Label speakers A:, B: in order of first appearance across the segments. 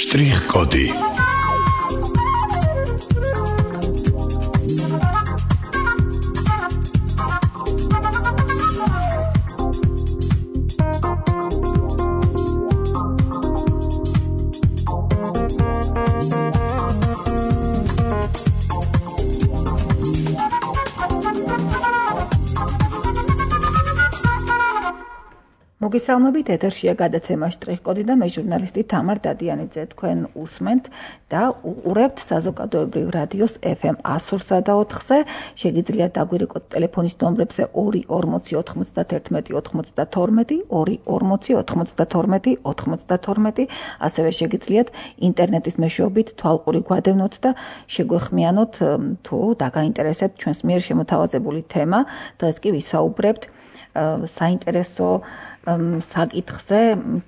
A: Strich-Cody.
B: მოგესალმებით, ეთერშია გადაცემა შტრიხ-კოდი და მე ჟურნალისტი თამარ დადიანიძე. თქვენ უსმენთ და უყურებთ საზოგადოებრივ რადიოს FM 103.4-ზე. შეგიძლიათ დაგვირეკოთ ტელეფონის ნომრებზე 240 91 92, 240 92, ასევე შეგიძლიათ ინტერნეტის მეშვეობით თვალყური გვადევნოთ და შეგვეხმიანოთ თუ დაგაინტერესებთ ჩვენს მიერ შემოთავაზებული თემა. დღეს კი ვისაუბრებთ საინტერესო საკითხზე,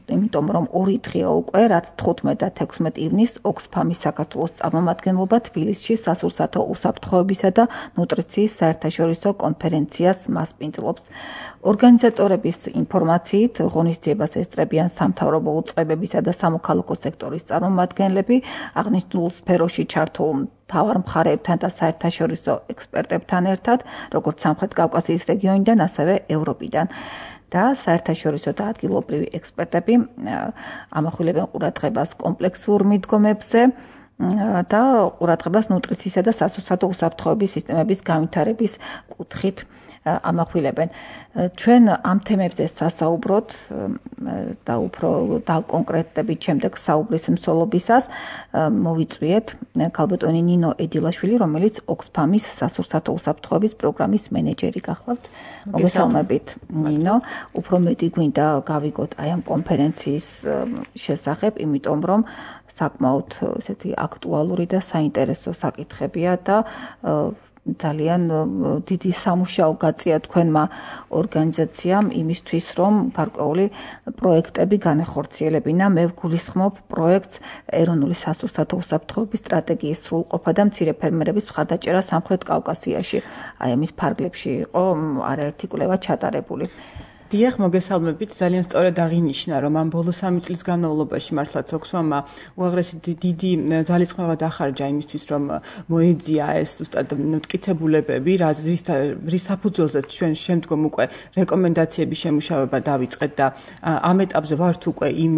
B: იმიტომ რომ 2 დღეა უკვე, რაც 15 და 16 ივნისს ოქსფამის საქართველოს წარმომადგენლობა თბილისში სასურსათო უსაფრთხოებისა და ნუტრიციის საერთაშორისო კონფერენციას მასპინძლობს. ორგანიზატორების ინფორმაციით, ღონისძიებას ესწრებიან სამთავრობო უწყებებისა და სამოქალაქო სექტორის წარმომადგენლები, აღნიშნულ სფეროში ჩართულ მთავარ მხარეებთან და საერთაშორისო ექსპერტებთან ერთად, როგორც სამხრეთ კავკასიის რეგიონიდან, ასევე ევროპიდან. და საერთაშორისო და ადგილობრივი ექსპერტები ამახვილებენ ყურადღებას კომპლექსურ მიდგომებზე და ყურადღებას ნუტრიციისა და სასურსათო უსაფრთხოების სისტემების განვითარების კუთხით ამახვილებენ. ჩვენ ამ თემებზე სასაუბროთ და უფრო დაკონკრეტებით შემდეგ საუბრის მსვლელობისას მოვიწვიეთ ქალბატონი ნინო ედილაშვილი, რომელიც ოქსფამის სასურსათო უსაფრთხოების პროგრამის მენეჯერი გახლავთ. მოგესალმებით, ნინო. უფრო მეტი გვინდა გავიგოთ აი ამ კონფერენციის შესახებ, იმიტომ რომ საკმაოდ ესეთი აქტუალური და საინტერესო საკითხებია და ძალიან დიდი სამუშაო გაწია თქვენმა ორგანიზაციამ იმისთვის, რომ გარკვეული პროექტები განახორციელებინა. მე ვგულისხმობ პროექტს ეროვნული სასურსათო უსაფრთხოების სტრატეგიის სრულყოფა და მცირე ფერმერების მხარდაჭერა სამხრეთ კავკასიაში. აი ამის ფარგლებში იყო არაერთი კვლევა ჩატარებული.
C: დიახ, მოგესალმებით. ძალიან სწორად აღინიშნა, რომ ამ ბოლო 3 წლის განმავლობაში მართლაც ოქსფამმა უაღრესი დიდი ძალისხმევა დახარჯა იმისთვის, რომ მოეძია ეს ზუსტად მტკიცებულებები, რის საფუძველზეც ჩვენ შემდგომ უკვე რეკომენდაციების შემუშავება დავიწყეთ და ამ ეტაპზე ვართ უკვე იმ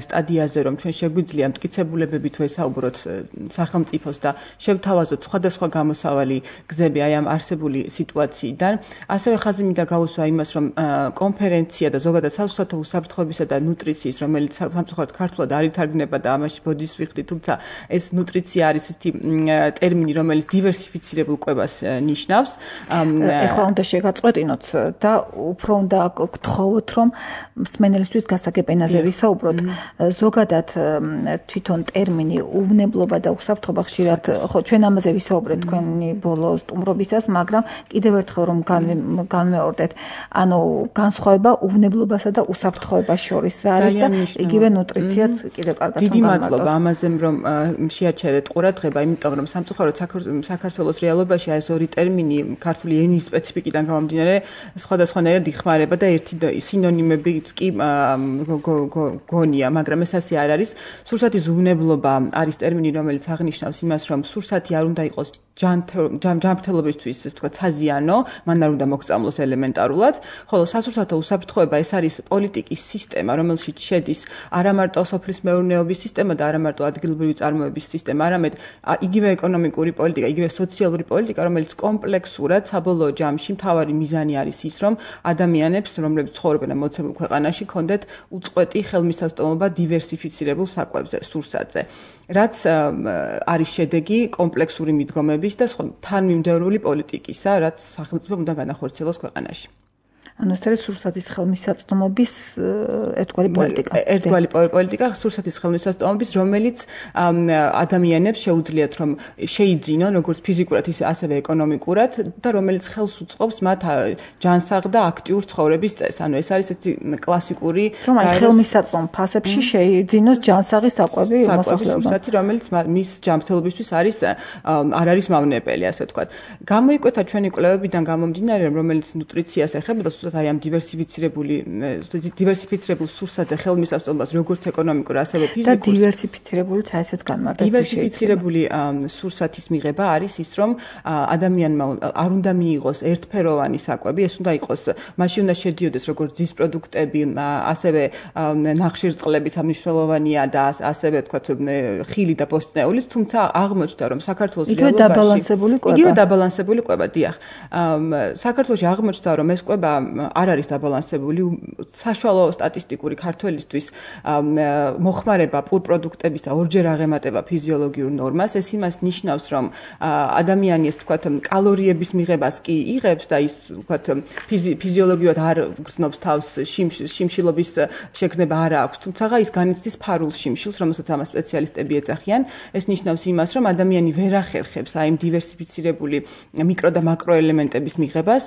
C: სტადიაზე, რომ ჩვენ შეგვიძლია მტკიცებულებებით ვესაუბროთ სახელმწიფოს და შევთავაზოთ სხვადასხვა გამოსავალი გზები აი ამ არსებული სიტუაციიდან. ასევე ხაზი მინდა გაუსვა იმას, რომ კონფერენცია და ზოგადად სასურსათო უსაფრთხოებისა და ნუტრიციის, რომელიც სამწუხაროდ ქართულად არ ითარგმნება და ამაში ბოდის ვიხდი, თუმცა ეს ნუტრიცია არის ისეთი ტერმინი, რომელიც დივერსიფიცირებულ კვებას ნიშნავს.
B: ეხლა უნდა შეგაწყვეტინოთ და უფრო უნდა გთხოვოთ, რომ მსმენელისთვის გასაგებ ენაზე ვისაუბროთ. ზოგადად თვითონ ტერმინი უვნებლობა და უსაფრთხოება ხშირად, ხო, ჩვენ ამაზე ვისაუბრეთ თქვენი ბოლო სტუმრობისას, მაგრამ კიდევ ერთხელ რომ განმეორდეთ, ანუ განსხვავება უვნებლობასა და უსაფრთხოებას შორის რა არის და იგივე ნუტრიციაც კიდევ კარგად
C: დიდი მადლობა ამაზე, რომ შეაჩერეთ ყურადღება, იმიტომ რომ სამწუხაროდ საქართველოს რეალობაში ეს 2 ტერმინი ქართული ენის სპეციფიკიდან გამომდინარე სხვადასხვანაირად იხმარება და ერთი სინონიმებიც კი გონია, მაგრამ ეს ასე არ არის. სურსათის უვნებლობა არის ტერმინი, რომელიც აღნიშნავს იმას, რომ სურსათი არ უნდა იყოს ჯანმრთელობისთვის, ეს თქვა საზიანო, მან არ უნდა მოგწამლოს ელემენტარულად, ხოლო სასურსათო უსაფრთხოება ეს არის პოლიტიკის სისტემა, რომელშიც შედის არა მარტო სოფლის მეურნეობის სისტემა და არა მარტო ადგილობრივი წარმოების სისტემა, არამედ იგივე ეკონომიკური პოლიტიკა, იგივე სოციალური პოლიტიკა, რომელიც კომპლექსურად საბოლოო ჯამში მთავარი მიზანი არის ის, რომ ადამიანებს, რომლებიც ცხოვრობენ მოცემულ ქვეყანაში, კონდეთ უწყვეტი ხელმისაწვდომობა დივერსიფიცირებულ საკვებზე, სურსათზე. რაც არის შედეგი კომპლექსური მიდგომების და თანმიმდევრული პოლიტიკისა, რაც სახელმწიფომ უნდა განახორციელოს ქვეყანაში.
B: ანუ ეს არის სურსათის ხელმისაწვდომობის ერთგვარი პოლიტიკა.
C: ერთგვარი პოლიტიკა სურსათის ხელმისაწვდომობის, რომელიც ადამიანებს შეუძლიათ რომ შეიძინონ როგორც ფიზიკურად, ისე ასევე ეკონომიკურად და რომელიც ხელს უწყობს მათ ჯანსაღ და აქტიურ ცხოვრების წესს. ანუ ეს არის ესეთი კლასიკური
B: რომ აი ხელმისაწვდომ ფასებში შეიძინოს ჯანსაღი საკვები მოსახლეობამ.
C: სურსათი, რომელიც მის ჯანმრთელობისთვის არ არის მავნებელი, ასე ვთქვათ. გამოიკვეთა ჩვენი კვლევებიდან გამომდინარე, რომელიც ნუტრიციას ეხება და ზუსტად აი ამ დივერსიფიცირებულ სურსათზე ხელმისაწვდომას როგორც ეკონომიკურ, ასევე ფიზიკურ
B: და დივერსიფიცირებული ესეც განმარტებით.
C: დივერსიფიცირებული სურსათის მიღება არის ის, რომ ადამიანმა არ უნდა მიიღოს ერთფეროვანი საკვები, ეს უნდა იყოს, მაშინ უნდა შედიოდეს როგორც ძის პროდუქტები, ასევე ნახშირწყლები მნიშვნელოვანია და ასევე თქვათ ხილი და ბოსტნეულიც, თუმცა აღმოჩნდა, რომ საქართველოს რეალობაში იგივე დაბალანსებული კვება, დიახ. საქართველოში აღმოჩნდა, რომ ეს კვება არ არის დაბალანსებული, საშუალო სტატისტიკური ქართველისთვის მოხმარება პურ პროდუქტებისა ორჯერ აღემატება ფიზიოლოგიურ ნორმას. ეს იმას ნიშნავს, რომ ადამიანი ეს თქვათ კალორიების მიღებას კი იღებს და ის თქვათ ფიზიოლოგიურად არ გრძნობს თავს შიმშილობის შეგრძნება არ აქვს, თუმცა ის განიცდის ფარულ შიმშილს, რომელსაც ამას სპეციალისტები ეძახიან. ეს ნიშნავს იმას, რომ ადამიანი ვერ ახერხებს აი იმ დივერსიფიცირებული მიკრო და მაკრო ელემენტების მიღებას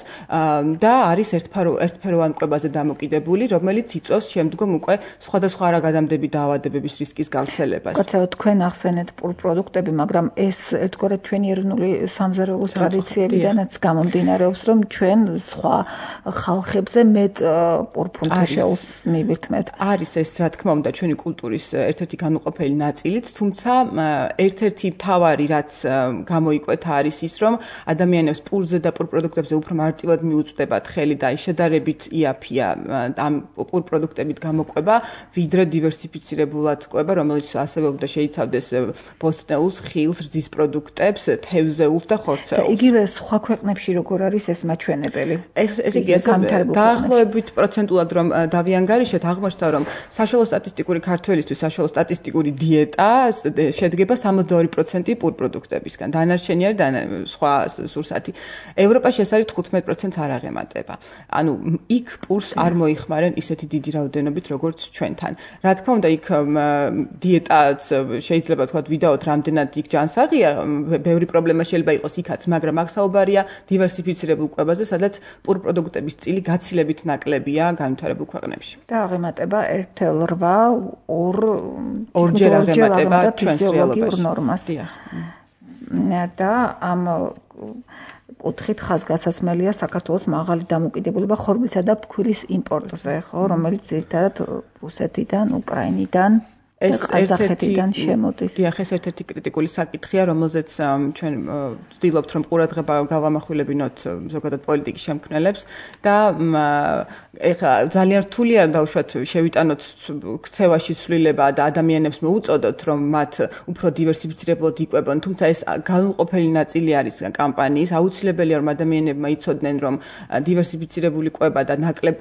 C: და არის ერთფეროვან კვებაზე დამოკიდებული, რომელიც იწვევს შემდგომ უკვე სხვადასხვა არაგადამდები დაავადებების რისკის გავრცელებას.
B: კაცო, თქვენ ახსენეთ პურ პროდუქტები, მაგრამ ეს ერთგვარად ჩვენი ეროვნული სამზარეულო ტრადიციებიდანაც გამომდინარეობს, რომ ჩვენ სხვა ხალხებზე მეტ პურ ფუნქციას მივირთმევთ.
C: არის ეს, რა თქმა უნდა, ჩვენი კულტურის ერთ-ერთი განუყოფელი ნაწილიც, თუმცა ერთ-ერთი მთავარი, რაც გამოიკვეთა, არის ის, რომ ადამიანებს პურზე და პურ პროდუქტებზე უფრო მარტივად მიუწვდებათ ხელი და შედარებით იაფია ამ პურ პროდუქტებით გამოყვება, ვიდრე დივერსიფიცირებულად კვება, რომელიც ასევე უნდა შეიცავდეს ბოსტნეულს, ხილს, რძის პროდუქტებს, თევზეულს და ხორცეულს.
B: იგივე სხვა ქვეყნებში როგორ არის ეს მაჩვენებელი?
C: ეს იგი დაახლოებით პროცენტულად რომ დავიანგარიშეთ, აღმოჩნდა, რომ საშუალო სტატისტიკური ქართველისთვის საშუალო სტატისტიკური დიეტა შედგება 62% პურ პროდუქტებისგან. დანარჩენი არის სხვა სურსათი. ევროპაში ეს არის 15%-ს არ აღემატება. ანუ იქ პურს არ მოიხმარენ ისეთი დიდი რაოდენობით, როგორც ჩვენთან. რა თქმა უნდა, იქ დიეტაც შეიძლება თქვა ვიდაოთ, რამდენად იქ ჯანსაღია, ბევრი პრობლემა შეიძლება იყოს იქაც, მაგრამ აქ საუბარია დივერსიფიცირებულ კვებაზე, სადაც პურ პროდუქტების წილი გაცილებით ნაკლებია განვითარებულ ქვეყნებში.
B: და აღემატება 1,8
C: ორჯერ აღემატება ჩვენს რეალობაში.
B: ნორმას. და ამ კუთხით ხაზგასასმელია საქართველოს მაღალი დამოკიდებულება ხორბლისა და ფქვილის იმპორტზე, ხო, რომელიც ძირითადად რუსეთიდან, უკრაინიდან ყაზახეთიდან შემოდის.
C: დიახ, ეს ერთ-ერთი კრიტიკული საკითხია, რომელზეც ჩვენ ვცდილობთ, რომ ყურადღება გავამახვილებინოთ ზოგადად პოლიტიკის შემქმნელებს და ეხლა ძალიან რთულია დავუშვათ შევიტანოთ ქცევაში ცვლილება და ადამიანებს მოუწოდოთ, რომ მათ უფრო დივერსიფიცირებულად იკვებონ, თუმცა ეს განუყოფელი ნაწილი არის კამპანიის. აუცილებელია, რომ ადამიანებმა იცოდნენ, რომ დივერსიფიცირებული კვება და ნაკლებ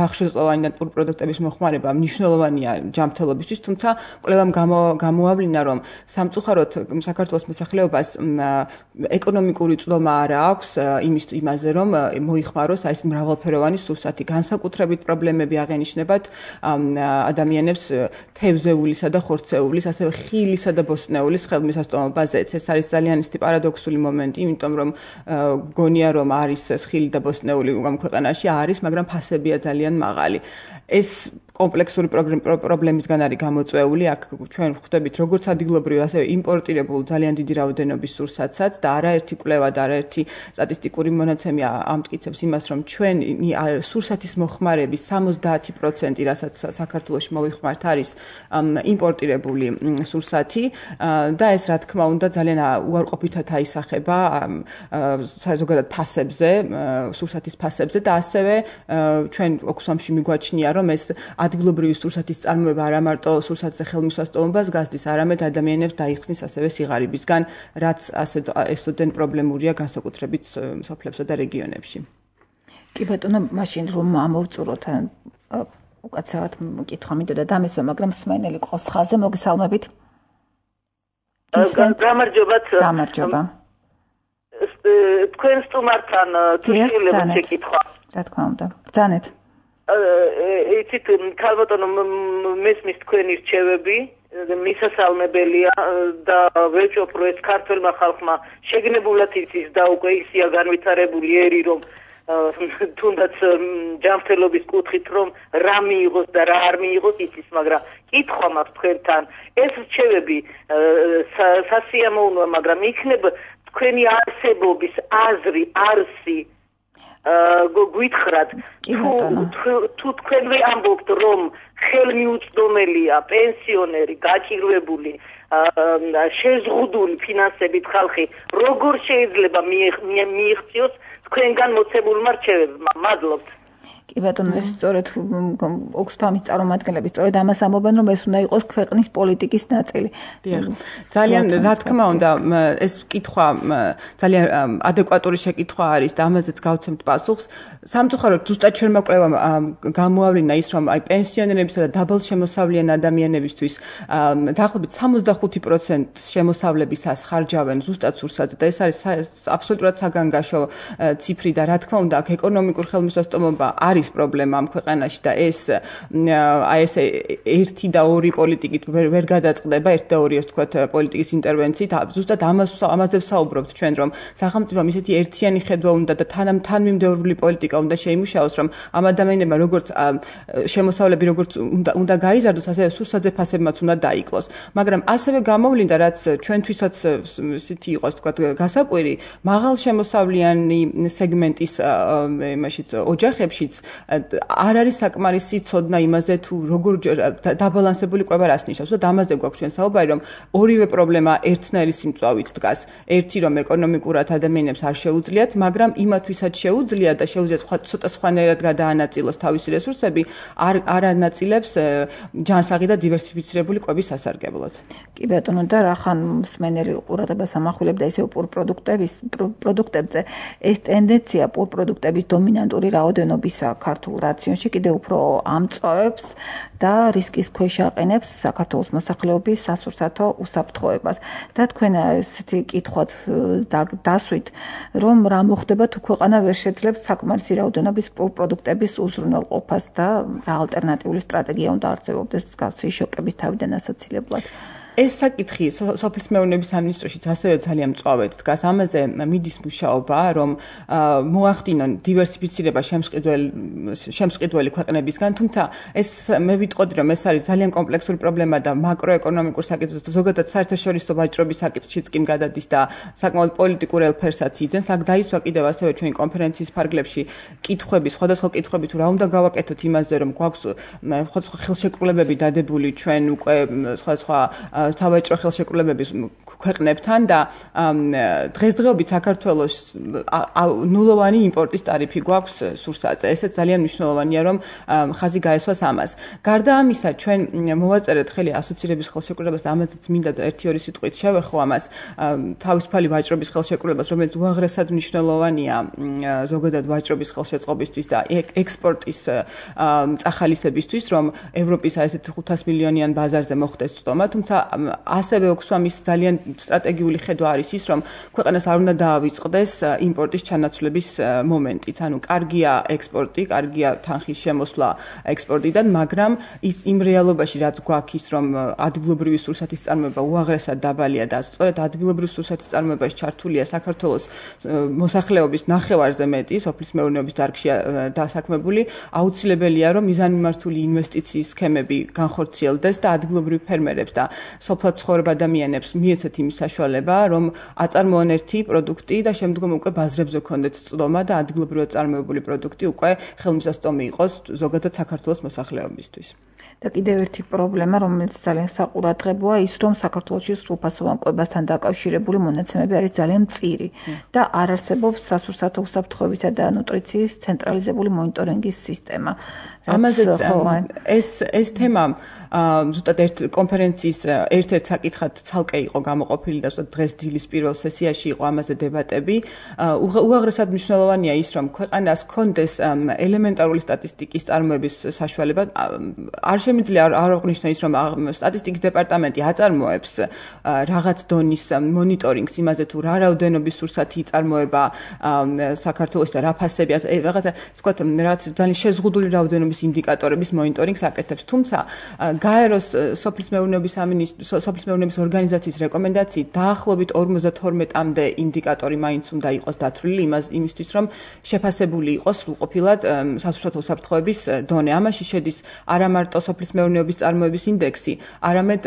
C: ნახშირწყლოვანი და პურ პროდუქტების მოხმარება მნიშვნელოვანია ჯანმრთელობისთვის, თუმცა კვლევამ გამოავლინა, რომ სამწუხაროდ საქართველოს მოსახლეობას ეკონომიკური წვდომა არ აქვს იმაზე, რომ მოიხმაროს აი ეს მრავალფეროვანი სურსათი. განსაკუთრებით პრობლემები აღენიშნებათ ადამიანებს თევზეულისა და ხორცეულის, ასევე ხილისა და ბოსტნეულის ხელმისაწვდომობაზეც. ეს არის ძალიან ისეთი პარადოქსული მომენტი, იმიტომ რომ გონია, რომ არის ხილი და ბოსტნეული ამ ქვეყანაში არის, მაგრამ ფასებია ძალიან მაღალი. ეს კომპლექსური პრობლემისგან არის გამოწვეული. აქ ჩვენ ხვდებით როგორც ადგილობრივ, ასევე იმპორტირებულ ძალიან დიდი რაოდენობის სურსათსაც და არაერთი კვლევა და არაერთი სტატისტიკური მონაცემი ამტკიცებს იმას, რომ ჩვენ სურსათის მოხმარების 70%, რასაც საქართველოში მოვიხმართ, არის იმპორტირებული სურსათი და ეს რა თქმა უნდა ძალიან უარყოფითად აისახება საზოგადოებრივ ფასებზე, სურსათის ფასებზე და ასევე ჩვენ ოქსფამში მიგვაჩნია, რომ ეს ადგილობრივი სურსათის წარმოება არა მარტო სურსათზე ხელმისაწვდომობას გასდის, არამედ ადამიანებს დაიხსნის ასევე სიღარიბისგან, რაც ესოდენ პრობლემურია განსაკუთრებით სოფლებსა და რეგიონებში.
B: კი ბატონო, მაშინ რომ ამოვწუროთ უკაცრავად კითხვა მინდოდა დამესვა, მაგრამ სმენელი ყავს ხაზზე, მოგესალმებით. გამარჯობა.
A: თქვენ სტუმართან თუ შეიძლება შეკითხვა.
B: რა თქმა უნდა. ბრძანეთ.
A: იცით, ქალბატონო, მესმის თქვენი რჩევები, მისასალმებელია და ვეჭვობ, რომ ეს ქართველმა ხალხმა შეგნებულად იცის და უკვე ისია განვითარებული ერი, რომ თუნდაც ჯანმრთელობის კუთხით, რომ რა მიიღოს და რა არ მიიღოს იცის, მაგრამ კითხვა მაქვს თქვენთან, ეს რჩევები სასიამოვნოა, მაგრამ იქნება თქვენი არსებობის აზრი, არსი გვითხრათ თუ თქვენ ამბობთ რომ ხელმიუწვდომელია პენსიონერი გაჭირვებული შეზღუდული ფინანსებით ხალხი როგორ შეიძლება მიიღწიოს თქვენგან მოცემულმა რჩევებმა მადლობთ
B: კი ბატონო ეს სწორედ ოქსფამის წარმომადგენლები სწორედ ამას ამბობენ რომ ეს უნდა იყოს ქვეყნის პოლიტიკის ნაწილი.
C: ძალიან რა თქმა უნდა ეს კითხვა ძალიან ადეკვატური შეკითხვა არის და ამაზეც გავცემთ პასუხს. სამწუხაროდ ზუსტად ჩვენმა კვლევამ გამოავლინა ის რომ აი პენსიონერებისა და დაბალშემოსავლიანი ადამიანებისთვის დაახლოებით 65% შემოსავლებისას ხარჯავენ ზუსტად სურსათზე და ეს არის აბსოლუტურად საგანგაშო ციფრი და რა თქმა უნდა აქ ეკონომიკურ ხელმისაწვდომობა არის პრობლემა ამ ქვეყანაში და ეს აი ეს 1 და 2 პოლიტიკით ვერ გადაწყდება 1 და 2 ასე ვთქვათ პოლიტიკის ინტერვენციით ზუსტად ამაზე ვსაუბრობთ ჩვენ რომ სახელმწიფომ ისეთი ერთიანი ხედვა უნდა და თანმიმდევრული პოლიტიკა უნდა შეიმუშაოს რომ ამ ადამიანებმა როგორც შემოსავლები როგორც უნდა გაიზარდოს ასევე სურსათზე ფასებმაც უნდა დაიკლოს მაგრამ ასევე გამოვლინდა რაც ჩვენთვისაც ისეთი იყოს ვთქვათ გასაკვირი მაღალ შემოსავლიანი სეგმენტის იმაშიც ოჯახებშიც არ არის საკმარისი ცოდნა იმაზე თუ როგორ დაბალანსებული კვება რას ნიშნავს და ამაზე გვაქვს ჩვენ საუბარი რომ ორივე პრობლემა ერთნაირი სიმწვავით დგას ერთი რომ ეკონომიკურად ადამიანებს არ შეუძლიათ მაგრამ იმათვისაც შეუძლიათ და შეუძლიათ ცოტა სხვანაირად გადაანაწილოს თავისი რესურსები არ ანაწილებს ჯანსაღი და დივერსიფიცირებული კვების სასარგებლოდ.
B: კი ბატონო და რახან მსმენელი ყურადღებას ამახვილებდა ისევ პროდუქტებზე ეს ტენდენცია პროდუქტების დომინანტური რაოდენობისა ქართულ რაციონში კიდევ უფრო ამწვავებს და რისკის ქვეშ აყენებს საქართველოს მოსახლეობის სასურსათო უსაფრთხოებას. და თქვენ ესეთი კითხვაც დასვით რომ რა მოხდება თუ ქვეყანა ვერ შეძლებს საკმარისი რაოდენობის პროდუქტების უზრუნველყოფას და რა ალტერნატიული სტრატეგია უნდა არსებობდეს მსგავსი შოკების თავიდან ასაცილებლად.
C: ეს საკითხი სოფლის მეურნეობის სამინისტროშიც ასევე ძალიან მწვავედ დგას. ამაზე მიდის მუშაობა, რომ მოახდინონ დივერსიფიცირება შემსყიდველი ქვეყნებისგან, თუმცა ეს მე ვიტყოდი, რომ ეს არის ძალიან კომპლექსური პრობლემა და მაკროეკონომიკურ საკითხს, ზოგადად საერთაშორისო ვაჭრობის საკითხშიც კი გადადის და საკმაოდ პოლიტიკურ ელფერსაც იძენს. აქ დაისვა კიდევ ასევე ჩვენი კონფერენციის ფარგლებში კითხვები, სხვადასხვა კითხვები თუ რა უნდა გავაკეთოთ იმაზე, რომ გვაქვს სხვადასხვა ხელშეკრულებები დადებული ჩვენ უკვე სხვადასხვა სავაჭრო ხელშეკრულებების ქვეყნებთან და დღესდღეობით საქართველოს ნულოვანი იმპორტის ტარიფი გვაქვს სურსათზე. ესეც ძალიან მნიშვნელოვანია, რომ ხაზი გაესვას ამას. გარდა ამისა, ჩვენ მოვაწერეთ ხელი ასოცირების ხელშეკრულებას და ამაზეც მინდა 1-2 სიტყვით შევეხო ამას თავისუფალი ვაჭრობის ხელშეკრულებას, რომელიც უაღრესად მნიშვნელოვანია ზოგადად ვაჭრობის ხელშეწყობისთვის და ექსპორტის წახალისებისთვის, რომ ევროპის ესეთ 500 მილიონიან ბაზარზე მოხდეს წვდომა, თუმცა ასევე ოქსფამის ძალიან სტრატეგიული ხედვა არის ის, რომ ქვეყანას არ უნდა დაავიწყდეს იმპორტის ჩანაცვლების მომენტიც. ანუ კარგია ექსპორტი, კარგია თანხის შემოსვლა ექსპორტიდან, მაგრამ ის იმ რეალობაში რაც გვაქვს ის, რომ ადგილობრივი სურსათის წარმოება უაღრესად დაბალია და სწორედ ადგილობრივი სურსათის წარმოებაში ჩართულია საქართველოს მოსახლეობის ნახევარზე მეტი სოფლის მეურნეობის დარგშია დასაქმებული, აუცილებელია რომ მიზანმიმართული ინვესტიციის სქემები განხორციელდეს და ადგილობრივ ფერმერებს და სოფლად ცხოვრებ ადამიანებს მიეცეთ იმის საშუალება, რომ აწარმოონ ერთი პროდუქტი და შემდგომ უკვე ბაზრებზე ქონდეთ წვდომა და ადგილობრივად წარმოებული პროდუქტი უკვე ხელმისაწვდომი იყოს ზოგადად საქართველოს მოსახლეობისთვის.
B: და კიდევ ერთი პრობლემა, რომელიც ძალიან საყურადღებოა, ის რომ საქართველოში სრულფასოვან კვებასთან დაკავშირებული მონაცემები არის ძალიან მწირი და არ არსებობს სასურსათო უსაფრთხოებისა და ნუტრიციის ცენტრალიზებული მონიტორინგის სისტემა.
C: ამაზეც ეს თემა ზუსტად კონფერენციის ერთ-ერთ საკითხად ცალკე იყო გამოყოფილი და ზუსტად დღეს დილის პირველ სესიაში იყო ამაზე დებატები. უაღრესად მნიშვნელოვანია ის, რომ ქვეყანას ჰქონდეს ელემენტარული სტატისტიკის წარმოების საშუალება. არ შემიძლია არ აღნიშნო ის, რომ სტატისტიკის დეპარტამენტი აწარმოებს რაღაც დონის მონიტორინგს იმაზე თუ რა რაოდენობის სურსათი იწარმოება საქართველოში და რა ფასები, რაღაცა ვთქვათ, რაღაც ძალიან შეზღუდული რაოდენობის ინდიკატორების მონიტორინგს აკეთებს. თუმცა გაეროს სოფლის მეურნეობის ორგანიზაციის რეკომენდაციით დაახლოებით 52-მდე ინდიკატორი მაინც უნდა იყოს დათვლილი იმისთვის, რომ შეფასებული იყოს სრულყოფილად სასურსათო უსაფრთხოების დონე. ამაში შედის არა მარტო სოფლის მეურნეობის წარმოების ინდექსი, არამედ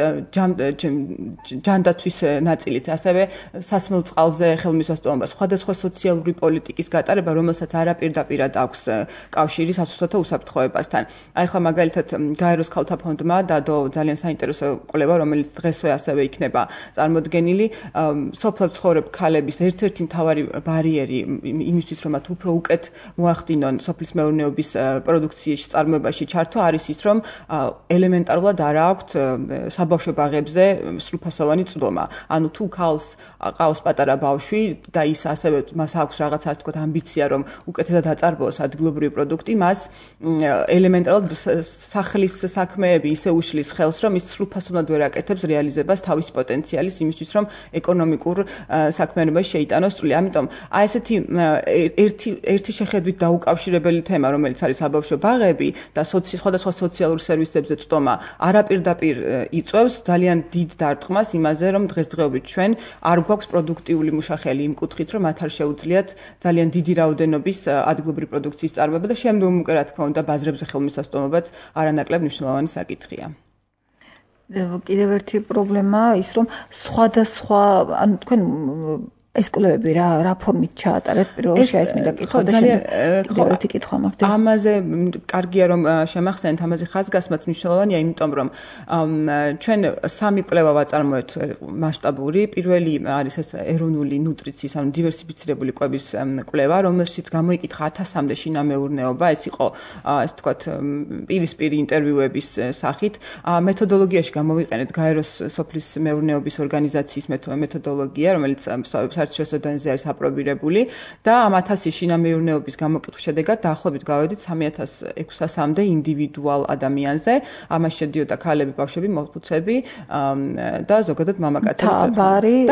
C: ჯანდაცვის ნაწილიც, ასევე სასმელ წყალზე ხელმისაწვდომობა, სხვადასხვა სოციალური პოლიტიკის გატარება, რომელსაც არაპირდაპირად აქვს კავშირი სასურსათო უსაფრთხოებასთან. აი ხა მაგალითად გაეროს ქალთა ფონდმა დადო ძალიან საინტერესო კვლევა, რომელიც დღესვე ასევე იქნება წარმოდგენილი, სოფლებს ცხოვრებ ქალების ერთ-ერთი მთავარი ბარიერი იმისთვის, რომ მათ უფრო უკეთ მოახდინონ სოფლის მეურნეობის პროდუქციის წარმოებაში ჩართვა არის ის, რომ ელემენტარულად არ აქვთ საბავშვო ბაღებზე სრულფასოვანი წვდომა. ანუ თუ ქალს ყავს პატარა ბავშვი და ის ასევე მას აქვს რაღაცა ასე ვთქვათ ამბიცია, რომ უკეთესად აწარმოოს ადგილობრივი პროდუქტი, მას ელემენტარულად სახლის საქმეები ისე უშლის ხელს, რომ ის სრულფასოვნად ვერ აკეთებს რეალიზებას თავის პოტენციალის იმისთვის, რომ ეკონომიკურ საქმიანობაში შეიტანოს წვლილი. ამიტომ აი ესეთი ერთი შეხედვით დაუკავშირებელი თემა, რომელიც არის საბავშვო ბაღები და სხვადასხვა სოციალურ სერვისებზე წვდომა, არაპირდაპირ იწვევს ძალიან დიდ დარტყმას იმაზე, რომ დღესდღეობით ჩვენ არ გვაქვს პროდუქტიული მუშახელი იმ კუთხით, რომ მათ არ შეუძლიათ ძალიან დიდი რაოდენობის ადგილობრივი პროდუქციის წარმოება და შემდგომ უკვე რა თქმა უნდა ბაზრებზე ხელმისაწვდომობაც არანაკლებ მნიშვნელოვანი საკითხია.
B: კიდევ ერთი პრობლემა ის, რომ სხვადასხვა, ანუ თქვენ ეს კვლევები რა ფორმით ჩაატარეთ პირველ რიგში ეს მინდა კითხო და კიდევ ერთი კითხვა მაქვს.
C: ამაზე კარგია რომ შემახსენეთ, ამაზე ხაზგასმაც მნიშვნელოვანია, იმიტომ რომ ჩვენ სამი კვლევა ვაწარმოეთ მასშტაბური. პირველი არის ეს ეროვნული ნუტრიციის, ანუ დივერსიფიცირებული კვების კვლევა, რომელშიც გამოიკითხა 1000-მდე შინამეურნეობა, ეს იყო ასე ვთქვათ პირისპირი ინტერვიუების სახით. მეთოდოლოგიაში გამოვიყენეთ გაეროს სოფლის მეურნეობის ორგანიზაციის მეთოდოლოგია, რომელიც საერთაშორისო დონეზე არის აპრობირებული და ამ 1000 შინამეურნეობის გამოკითხვის შედეგად დაახლოებით გავედით 3600-მდე ინდივიდუალ ადამიანზე. ამაში შედიოდა ქალები, ბავშვები, მოხუცები და ზოგადად მამაკაცები.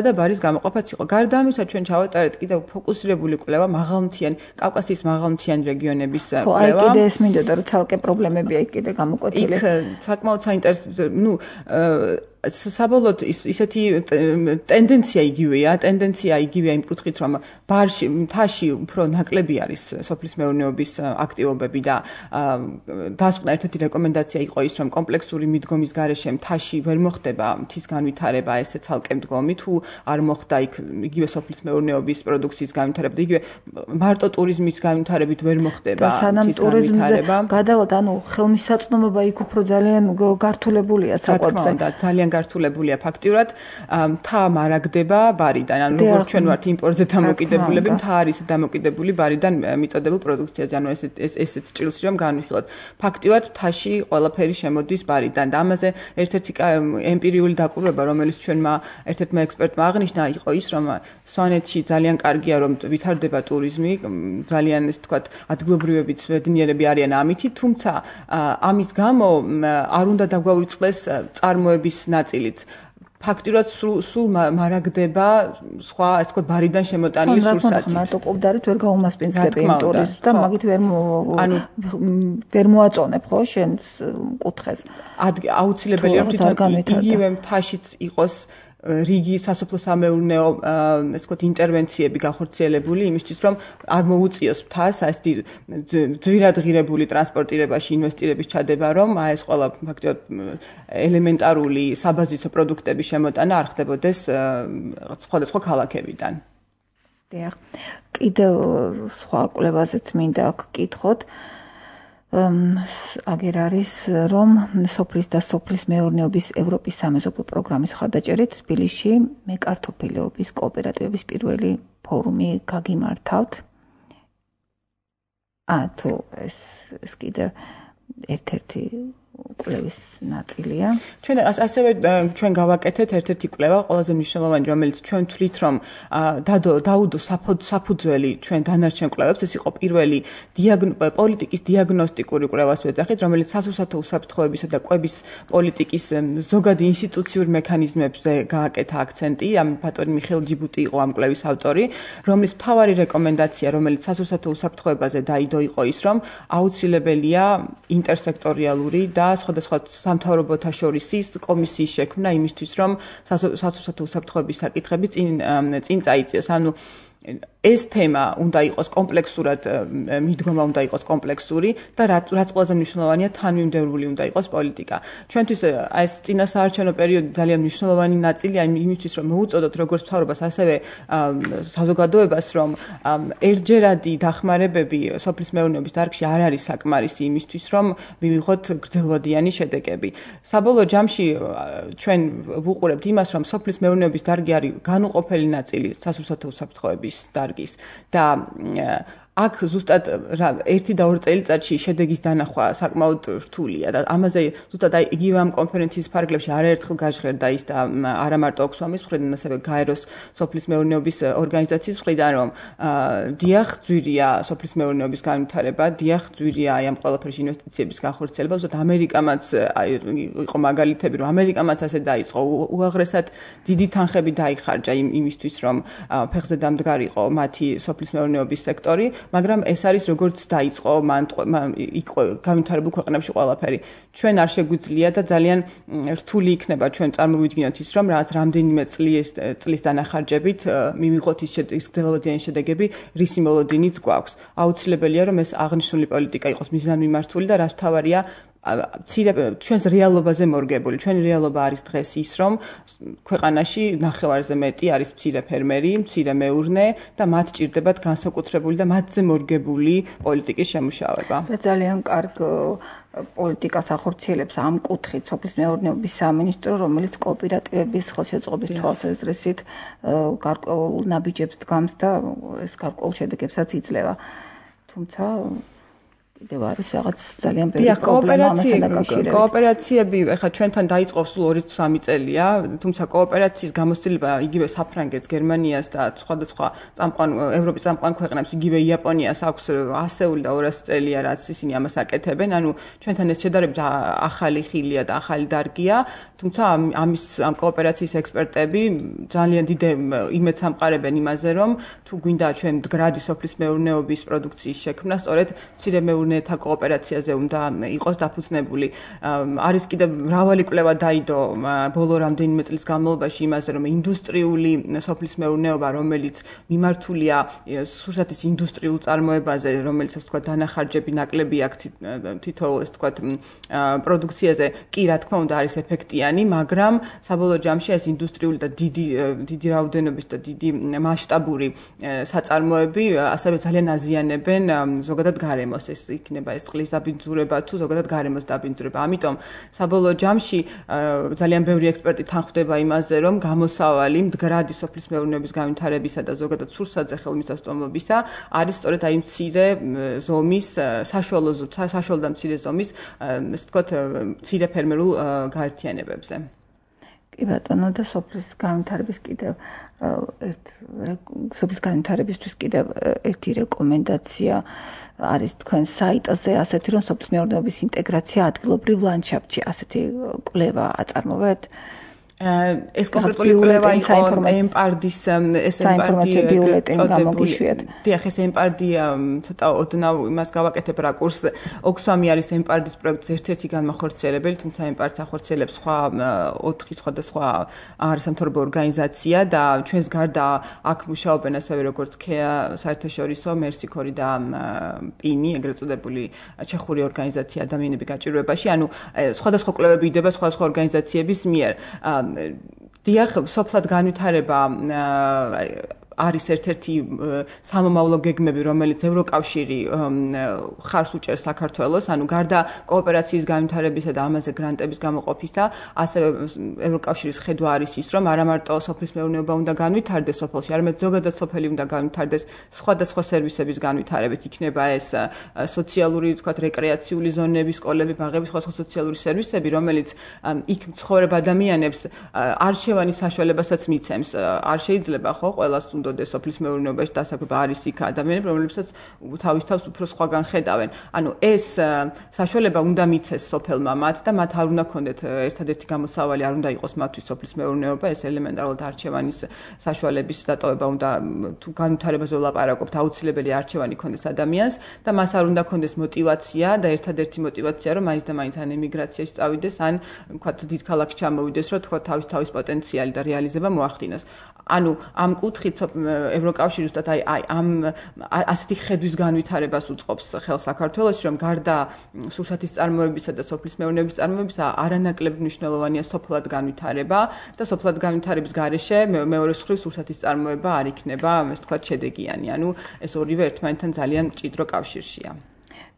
C: და ბარის გამოყოფაც იყო. გარდა ამისა, ჩვენ ჩავატარეთ კიდევ ფოკუსირებული კვლევა მაღალმთიანი კავკასიის მაღალმთიანი რეგიონების კვლევა.
B: აი კიდე ეს მინდოდა რომ ცალკე პრობლემებია იქ კიდე გამოკვეთილი.
C: იქ საკმაოდ საინტერესო, საბოლოოდ ისეთი ტენდენცია იგივეა იმ კუთხით, რომ მთაში უფრო ნაკლები არის სოფლის მეურნეობის აქტივობები და დასკვნა ერთ-ერთი რეკომენდაცია იყო ის, რომ კომპლექსური მიდგომის გარეშე მთაში ვერ მოხდება მთის განვითარება, ესე ცალკე მდგომი, თუ არ მოხდა იქ იგივე სოფლის მეურნეობის პროდუქციის განვითარება და იგივე მარტო ტურიზმის განვითარებით ვერ მოხდება
B: მთის განვითარება. გადავალთ, ანუ ხელმისაწვდომობა იქ უფრო ძალიან გართულებულია საკვებზე.
C: ძალიან გართულებულია ფაქტიურად, მთა მარაგდება ბარიდან, ანუ როგორც ჩვენ ვართ იმპორტზე დამოკიდებულები, მთა არის დამოკიდებული ბარიდან მიწოდებულ პროდუქციაზე, ანუ ესეც ჭრილს რომ განვიხილოთ. ფაქტიურად მთაში ყველაფერი შემოდის ბარიდან და ამაზე ერთ-ერთი ემპირიული დაკვირვება, რომელიც ჩვენმა ერთ-ერთმა ექსპერტმა აღნიშნა, იყო ის, რომ სვანეთში ძალიან კარგია, რომ ვითარდება ტურიზმი, ძალიან ესე ვთქვათ, ადგილობრივებიც ბედნიერები არიან ამითი, თუმცა ამის გამო არ უნდა დაგვაუწყდეს წარმოების ნაწილიც. ფაქტიურად სულ მარაგდება სხვა ასე ვთქვათ ბარიდან შემოტანილი სურსათი.
B: მარტო ყოფდარით ვერ გაუმასპინძლები იმ ტურიზმს და მაგით ვერ მოაწონებ ხო შენს კუთხეს.
C: აუცილებელია რომ იგივე მთაშიც იყოს რიგი სასოფლო სამეურნეო ასე ვთქვათ ინტერვენციები გახორციელებული იმისთვის რომ არ მოუწიოს მთას ასეთი ძვირადღირებული ტრანსპორტირებაში ინვესტირების ჩადება რომ ეს ყველა ფაქტობრივად ელემენტარული საბაზისო პროდუქტების შემოტანა არ ხდებოდეს სხვადასხვა ქალაქებიდან.
B: დიახ. კიდევ სხვა კვლევაზეც მინდა გკითხოთ. აგერ არის რომ სოფლის და სოფლის მეურნეობის ევროპის სამეზობლო პროგრამის მხარდაჭერით თბილისში მეკართოფილეობის კოოპერატივების პირველი ფორუმი გაგიმართავთ. თუ ეს კიდევ ერთ-ერთი კვლევის ნაწილია.
C: ჩვენ გავაკეთეთ ერთ-ერთი კვლევა, ყველაზე მნიშვნელოვანი, რომელიც ჩვენ თვლით, რომ დაუდო საფუძველი ჩვენ დანარჩენ კვლევებს, ეს იყო პირველი პოლიტიკის დიაგნოსტიკური კვლევას ვეძახით, რომელიც სასურსათო უსაფრთხოებისა და კვების პოლიტიკის ზოგადი ინსტიტუციურ მექანიზმებზე გააკეთა აქცენტი. ამ ბატონი მიხეილ ჯიბუტი იყო ამ კვლევის ავტორი, რომლის მთავარი რეკომენდაცია, რომელიც სასურსათო უსაფრთხოებაზე დაიდო, იყო ის, რომ აუცილებელია ინტერსექტორიალური და სხვადასხვა სამთავრობოთა შორის კომისიის შექმნა იმისთვის, რომ სასურსათო უსაფრთხოების საკითხები წინ წაიწიოს. ანუ ეს თემა უნდა იყოს კომპლექსურად მიდგომა უნდა იყოს კომპლექსური და რაც ყველაზე მნიშვნელოვანია თანმიმდევრული უნდა იყოს პოლიტიკა. ჩვენთვის ეს წინასაარჩევნო პერიოდი ძალიან მნიშვნელოვანი ნაწილია იმისთვის რომ მოუწოდოთ როგორც მთავრობას ასევე საზოგადოებას რომ ერთჯერადი დახმარებები სოფლის მეურნეობის დარგში არ არის საკმარისი იმისთვის რომ მივიღოთ გრძელვადიანი შედეგები. საბოლოო ჯამში ჩვენ ვუყურებთ იმას რომ სოფლის მეურნეობის დარგი არის განუყოფელი ნაწილი სასურსათო უსაფრთხოების დარგის და აქ ზუსტად 1 და 2 წელიწადში შედეგის დანახვა საკმაოდ რთულია და ამაზე ზუსტად იგივე ამ კონფერენციის ფარგლებში არაერთხელ გაჟღერდა ის და არა მარტო ოქსფამის მხრიდან, ასევე გაეროს სოფლის მეურნეობის ორგანიზაციის მხრიდან, რომ დიახ, ძვირია სოფლის მეურნეობის განვითარება, დიახ, ძვირია ამ ყველაფერში ინვესტიციების განხორციელება, ზუსტად ამერიკამაც იყო მაგალითები, რომ ამერიკამაც ასე დაიწყო, უაღრესად დიდი თანხები დაიხარჯა იმისთვის, რომ ფეხზე დამდგარიყო მათი სოფლის მეურნეობის სექტორი. მაგრამ ეს არის როგორც დაიწყო იყო განვითარებულ ქვეყნებში ყველაფერი. ჩვენ არ შეგვიძლია და ძალიან რთული იქნება ჩვენ წარმოვიდგინოთ ის რომ რაღაც რამდენიმე წლის დანახარჯებით მივიღოთ ის გრძელვადიანი შედეგები, რისი მოლოდინიც გვაქვს. აუცილებელია რომ ეს აღნიშნული პოლიტიკა იყოს მიზანმიმართული და რაც მთავარია ჩვენს რეალობაზე მორგებული. ჩვენი რეალობა არის დღეს ის, რომ ქვეყანაში ნახევარზე მეტი არის მცირე ფერმერი, მცირე მეურნე და მათ ჭირდებათ განსაკუთრებული და მათზე მორგებული პოლიტიკის შემუშავება.
B: ძალიან კარგ პოლიტიკას ახორციელებს ამ კუთხით სოფლის მეურნეობის სამინისტრო, რომელიც კოოპერატივების ხელშეწყობის თვალსაზრისით გარკვეულ ნაბიჯებს დგამს და ეს გარკვეულ შედეგებსაც იძლევა. თუმცა კიდევ არის რაღაც ძალიან ბევრი პრობლემა ამასთან დაკავშირებით.
C: კოოპერაციები ეხლა ჩვენთან დაიწყო სულ 2-3 წელია, თუმცა კოოპერაციის გამოცდილება იგივე საფრანგეთს, გერმანიას და სხვადასხვა ევროპის წამყვან ქვეყნებს, იგივე იაპონიას აქვს 100 და 200 წელია, რაც ისინი ამას აკეთებენ. ანუ ჩვენთან ეს შედარებით ახალი ხილია და ახალი დარგია, თუმცა ამ კოოპერაციის ექსპერტები ძალიან დიდ იმედს ამყარებენ იმაზე, რომ თუ გვინდა ჩვენ მდგრადი სოფლის მეურნეობის პროდუქციის შექმნა, სწორედ მცირე მეურნეთა კოოპერაციაზე უნდა იყოს დაფუძნებული. არის კიდევ მრავალი კვლევა დაიდო ბოლო რამდენიმე წლის განმავლობაში იმაზე, რომ ინდუსტრიული სოფლის მეურნეობა, რომელიც მიმართულია სურსათის ინდუსტრიულ წარმოებაზე, რომელიც ასე ვთქვათ დანახარჯები ნაკლები აქვს თითოეულ ასე ვთქვათ პროდუქციაზე, კი რა თქმა უნდა არის ეფექტიანი, მაგრამ საბოლოო ჯამში ეს ინდუსტრიული და დიდი რაოდენობის და დიდი მასშტაბური საწარმოები ასევე ძალიან აზიანებენ ზოგადად გარემოს. ეს იქნება ეს წყლის დაბინძურება თუ ზოგადად გარემოს დაბინძურება. ამიტომ საბოლოო ჯამში ძალიან ბევრი ექსპერტი თანხმდება იმაზე, რომ გამოსავალი მდგრადი სოფლის მეურნეობის განვითარებისა და ზოგადად სურსათზე ხელმისაწვდომობისა არის სწორედ აი მცირე ზომის, საშუალო და მცირე ზომის, ასე ვთქვათ, მცირე ფერმერულ გაერთიანებებზე.
B: კი ბატონო, და სოფლის განვითარების კიდევ სოფლის განვითარებისთვის კიდევ ერთი რეკომენდაცია არის თქვენ საიტზე, ასეთი რომ სოფლის მეურნეობის ინტეგრაცია ადგილობრივ ლანდშაფტში, ასეთი კვლევა აწარმოებთ?
C: ეს კონკრეტული კვლევა იყო ემპარდის
B: საინფორმაციო ბიულეტენი გამოგიშვიათ.
C: დიახ, ეს ემპარდი ცოტა ოდნავ იმას გავაკეთებ რაკურს. ოქსფამი არის ემპარდის პროექტის ერთ-ერთი განმახორციელებელი, თუმცა ემპარდს ახორციელებს სხვა 4 სხვადასხვა არასამთავრობო ორგანიზაცია და ჩვენს გარდა აქ მუშაობენ ასევე როგორც ქეა საერთაშორისო, მერსიქორი და პინი, ეგრეთ წოდებული ჩეხური ორგანიზაცია ადამიანების გაჭირვებაში. ანუ სხვადასხვა კვლევები იდება სხვადასხვა ორგანიზაციების მიერ. დიახ, სოფლად განვითარება არის ერთ-ერთი სამომავლო გეგმები, რომელიც ევროკავშირი ხარს უჭერს საქართველოს, ანუ გარდა კოოპერაციის განვითარებისა და ამაზე გრანტების გამოყოფისა, ასევე ევროკავშირის ხედვა არის ის, რომ არა მარტო სოფლის მეურნეობა უნდა განვითარდეს სოფელში, არამედ ზოგადად სოფელი უნდა განვითარდეს სხვადასხვა სერვისების განვითარებით. იქნება ეს სოციალური, ვთქვათ, რეკრეაციული ზონები, სკოლები, ბაღები, სხვადასხვა სოციალური სერვისები, რომელიც იქ მცხოვრებ ადამიანებს არჩევანის საშუალებასაც მიცემს. არ შეიძლება ხო ყველას დოდეს სოფლის მეურნეობაში დასაქმება არის იქ ადამიანები, რომლებსაც თავის თავს უფრო სხვაგან ხედავენ. ანუ ეს საშუალება უნდა მიცეს სოფელმა მათ და მათ არ უნდა ქონდეთ ერთადერთი გამოსავალი, არ უნდა იყოს მათთვის სოფლის მეურნეობა, ეს ელემენტარულად არჩევანის საშუალების დატოვება უნდა, თუ განვითარებაზე ვლაპარაკობთ, აუცილებელი არჩევანი ქონდეს ადამიანს და მას არ უნდა ქონდეს მოტივაცია და ერთადერთი მოტივაცია, რომ მაინც და მაინც ან ემიგრაციაში წავიდეს, ან ვთქვათ დიდ ქალაქში ჩამოვიდეს, რომ თქვა თავის პოტენციალი და რეალიზება მოახდინოს. ანუ ამ კუთხით ევროკავშირი ზუსტად აი ამ ასეთი ხედვის განვითარებას უწყობს ხელს საქართველოში, რომ გარდა სურსათის წარმოებისა და სოფლის მეურნეობის წარმოებისა არანაკლებ მნიშვნელოვანია სოფლად განვითარება და სოფლად განვითარების გარეშე მეორე მხრივ სურსათის წარმოება არ იქნება, ასე ვთქვათ, შედეგიანი. ანუ ეს ორივე ერთმანეთთან ძალიან მჭიდრო კავშირშია.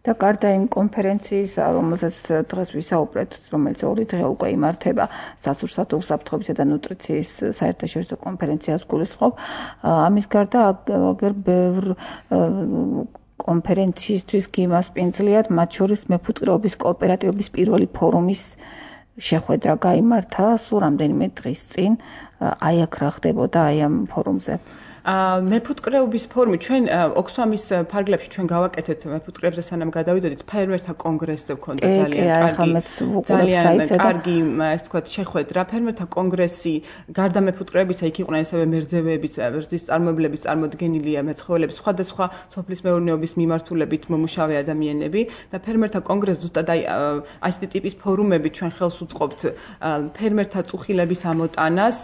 B: და გარდა იმ კონფერენციის, რომელზეც დღეს ვისაუბრეთ, რომელიც 2 დღე უკვე იმართება, სასურსათო უსაფრთხოებისა და ნუტრიციის საერთაშორისო კონფერენციას გულისხმობ, ამის გარდა აგერ ბევრ კონფერენციისთვის გიმასპინძლიათ, მათ შორის მეფუტკრეობის კოოპერატივების პირველი ფორუმის შეხვედრა გაიმართა სულ რამდენიმე დღის წინ. აი აქ რა ხდებოდა აი ამ ფორუმზე?
C: მეფუტკრეობის ფორუმი ჩვენ ოქსფამის ფარგლებში ჩვენ გავაკეთეთ მეფუტკრეებზე სანამ გადავიდოდით ფერმერთა კონგრესზე ვქონდა ძალიან კარგი ასე ვთქვათ შეხვედრა ფერმერთა კონგრესი გარდა მეფუტკრეებისა იქ იყვნენ ასევე მერძევეების ვერძის წარმოებლების წარმოდგენილია მეცხოველების სხვადასხვა სოფლის მეურნეობის მიმართულებით მომუშავე ადამიანები და ფერმერთა კონგრესს ზუსტად აი ასეთი ტიპის ფორუმები ჩვენ ხელს უწყობთ ფერმერთა წუხილების ამოტანას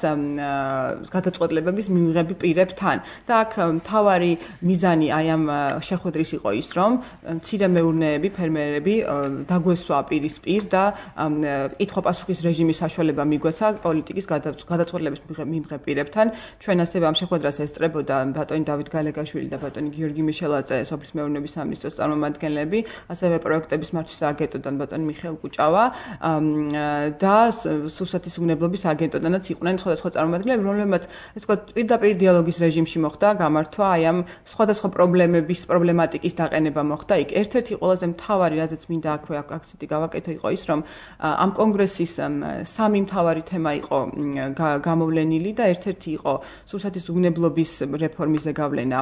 C: გადაწყვეტილებების მიღების პირებთან და აქ მთავარი მიზანი აი ამ შეხვედრის იყო ის, რომ მცირე მეურნეები, ფერმერები დაგვესვა პირისპირ და კითხვა-პასუხის რეჟიმის საშუალება მიგვეცა პოლიტიკის გადაწყვეტილების მიღების პირებთან. ჩვენ ასევე ამ შეხვედრას ესწრებოდა ბატონი დავით გალეგაშვილი და ბატონი გიორგი მიშელაძე, სოფლის მეურნეობის სამინისტროს წარმომადგენლები, ასევე პროექტების მართვის აგენტოდან ბატონი მიხეილ კუჭავა და სურსათის უნებლობის აგენტოდანაც იყვნენ სხვადასხვა წარმომადგენლები, რომლებმაც ესე ვთქვათ პირდაპირ დიალოგის რეჟიმში მოხდა გამართვა აი ამ სხვადასხვა პრობლემატიკის დაყენება მოხდა იქ. ერთ-ერთი ყველაზე მთავარი, რაზეც მინდა აქვე აქცენტი გავაკეთო, იყო ის, რომ ამ კონგრესის 3 მთავარი თემა იყო გამოვლენილი და ერთ-ერთი იყო სურსათის უნებლობის რეფორმის ზეგავლენა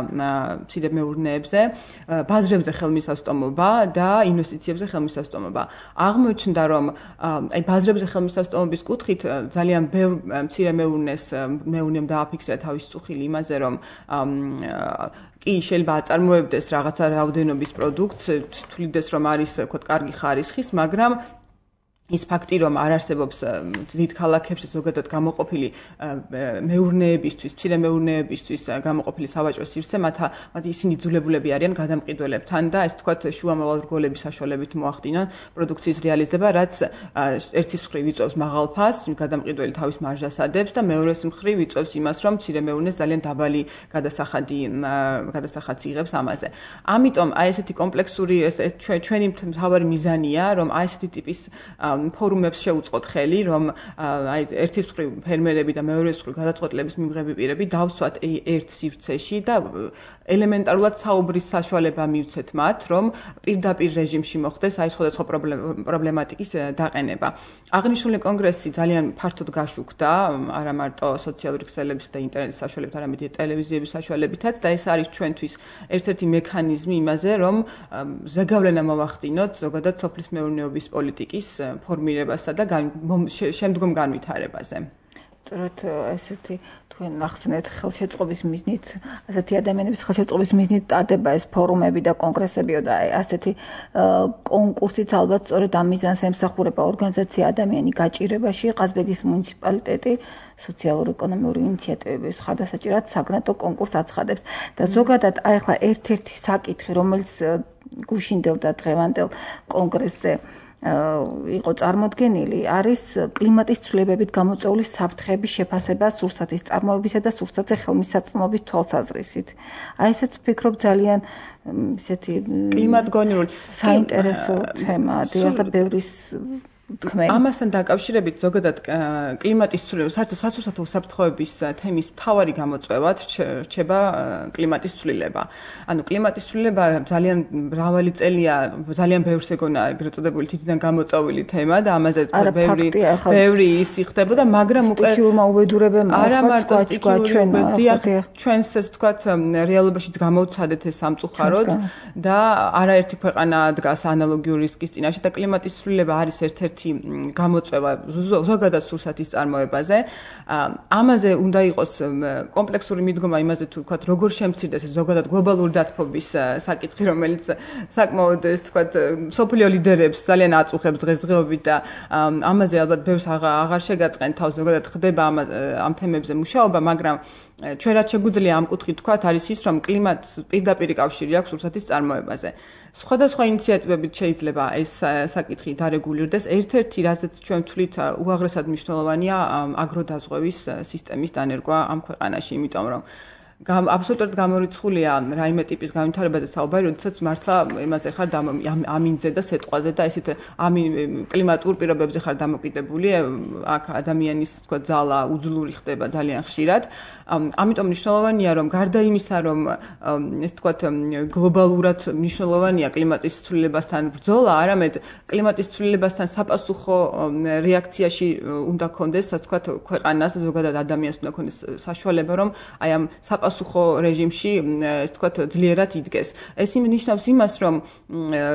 C: მცირე მეურნეებზე, ბაზრებზე ხელმისაწვდომობა და ინვესტიციებზე ხელმისაწვდომობა. აღმოჩნდა, რომ აი ბაზრებზე ხელმისაწვდომობის კუთხით ძალიან ბევრ მცირე მეურნემ დააფიქსირა თავის წუხილი იმაზე, რომ კი შეიძლება აწარმოებდეს რაღაცა რაოდენობის პროდუქტს, თვლიდეს რომ არის თქვა კარგი ხარისხის, მაგრამ ის ფაქტი, რომ არ არსებობს დიდ ქალაქებში ზოგადად გამოყოფილი მეურნეებისთვის, მცირე მეურნეებისთვის გამოყოფილი სავაჭრო სივრცე, მათ ისინი ძულებულები არიან გადამყიდველებთან და ეს თქვათ შუამავალ რგოლების საშუალებით მოახდინონ პროდუქციის რეალიზება, რაც ერთის მხრივ იწვევს მაღალ ფასს, გადამყიდველი თავის მარჟას ადებს და მეორეს მხრივ იწვევს იმას, რომ მცირე მეურნეს ძალიან დაბალი გადასახადს იღებს ამაზე. ამიტომ აი ესეთი კომპლექსური ჩვენი მთავარი მიზანია, რომ აი ესეთი ტიპის ფორუმებს შეუწყოთ ხელი, რომ აი ერთის მხრივ ფერმერები და მეორეს მხრივ გადაწყვეტილების მიღები პირები დავსვათ ერთ სივრცეში და ელემენტარულად საუბრის საშუალება მივცეთ მათ, რომ პირდაპირ რეჟიმში მოხდეს აი სხვადასხვა პრობლემატიკის დაყენება. აღნიშნული კონგრესი ძალიან ფართოდ გაშუქდა, არა მარტო სოციალური ქსელების და ინტერნეტის საშუალებით, არამედ ტელევიზიების საშუალებითაც და ეს არის ჩვენთვის ერთ-ერთი მექანიზმი იმაზე, რომ ზეგავლენა მოვახდინოთ ზოგადად სოფლის მეურნეობის პოლიტიკის ფორმირებასა და შემდგომ განვითარებაზე.
B: სწორედ ესეთი თქვენ ახსნეთ ხელშეწყობის მიზნით, ასეთი ადამიანების ხელშეწყობის მიზნით ტარდება ეს ფორუმები და კონგრესები და ასეთი კონკურსიც ალბათ სწორედ ამ მიზანს ემსახურება ორგანიზაცია ადამიანი გაჭირებაში, ყაზბეგის მუნიციპალიტეტი სოციალურ-ეკონომიური ინიციატივების ხარდასაჭერად საგნატო კონკურსს აცხადებს და ზოგადად აი ახლა ერთ-ერთი საკითხი, რომელიც გუშინდელ და დღევანდელ კონგრესზე იყო წარმოდგენილი, არის კლიმატის ცვლილებებით გამოწვეული საფრთხეების შეფასება სურსათის წარმოებისა და სურსათზე ხელმისაწვდომობის თვალსაზრისით. აი ესეც ვფიქრობ ძალიან ისეთი
C: კლიმატგონივრული
B: საინტერესო თემაა, და ბევრის
C: ამასთან დაკავშირებით ზოგადად კლიმატის ცვლილება, საერთოდ სასურსათო უსაფრთხოების თემის მთავარი გამოწვევად რჩება კლიმატის ცვლილება. ანუ კლიმატის ცვლილება ძალიან მრავალი წელია, ძალიან ბევრს ეგონა ეგრეთ წოდებული თითიდან გამოწვეული თემა და ამაზე ბევრი ისი ხდებოდა, მაგრამ უკვე
B: სტიქიურმა უბედურებებმა
C: არა მარტო ჩვენს ეს ვთქვათ რეალობაშიც გამოვცადეთ ეს სამწუხაროდ და არაერთი ქვეყანა დგას ანალოგიური რისკის წინაშე და კლიმატის ცვლილება არის ერთ-ერთი გამოწვევა ზოგადად სურსათის წარმოებაზე. ამაზე უნდა იყოს კომპლექსური მიდგომა იმაზე თუ ვთქვათ როგორ შემცირდეს ეს ზოგადად გლობალური დათბობის საკითხი, რომელიც საკმაოდ ეს ვთქვათ სოფლიო ლიდერებს ძალიან აწუხებს დღესდღეობით და ამაზე ალბათ ბევრს აღარ შეგაწყენ თავს ზოგადად ხდება ამ თემებზე მუშაობა, მაგრამ ჩვენ რაც შეგვიძლია ამ კუთხით თქვათ არის ის, რომ კლიმატს პირდაპირ კავშირი აქვს რუსეთის წარმოებაზე. სხვადასხვა ინიციატივებით შეიძლება ეს საკითხი დარეგულირდეს. ერთ-ერთი, რასაც ჩვენ ვთვლით, უაღრესად მნიშვნელოვანია აგროდაზღვევის სისტემის დანერგვა ამ ქვეყანაში, იმიტომ რომ აბსოლუტურად გამორიცხულია რაიმე ტიპის განვითარებაზე საუბარი, როდესაც მართლა იმაზე ხარ ამინზე და სეტყვაზე და ესეთ კლიმატურ პირობებზე ხარ დამოკიდებული, აქ ადამიანის თქვა ძალა უძლური ხდება ძალიან ხშირად. ამიტომ მნიშვნელოვანია, რომ გარდა იმისა, რომ ეს თქვა გლობალურად მნიშვნელოვანია კლიმატის ცვლილებასთან ბრძოლა, არამედ კლიმატის ცვლილებასთან sapasukho რეაქციაში უნდა კონდეს, ასე თქვა ქვეყანას და ზოგადად ადამიანს უნდა კონდეს საშუალება, რომ აი ამ სუხო რეჟიმში, ეს თქვათ, ძლიერად იდგეს. ეს ნიშნავს იმას, რომ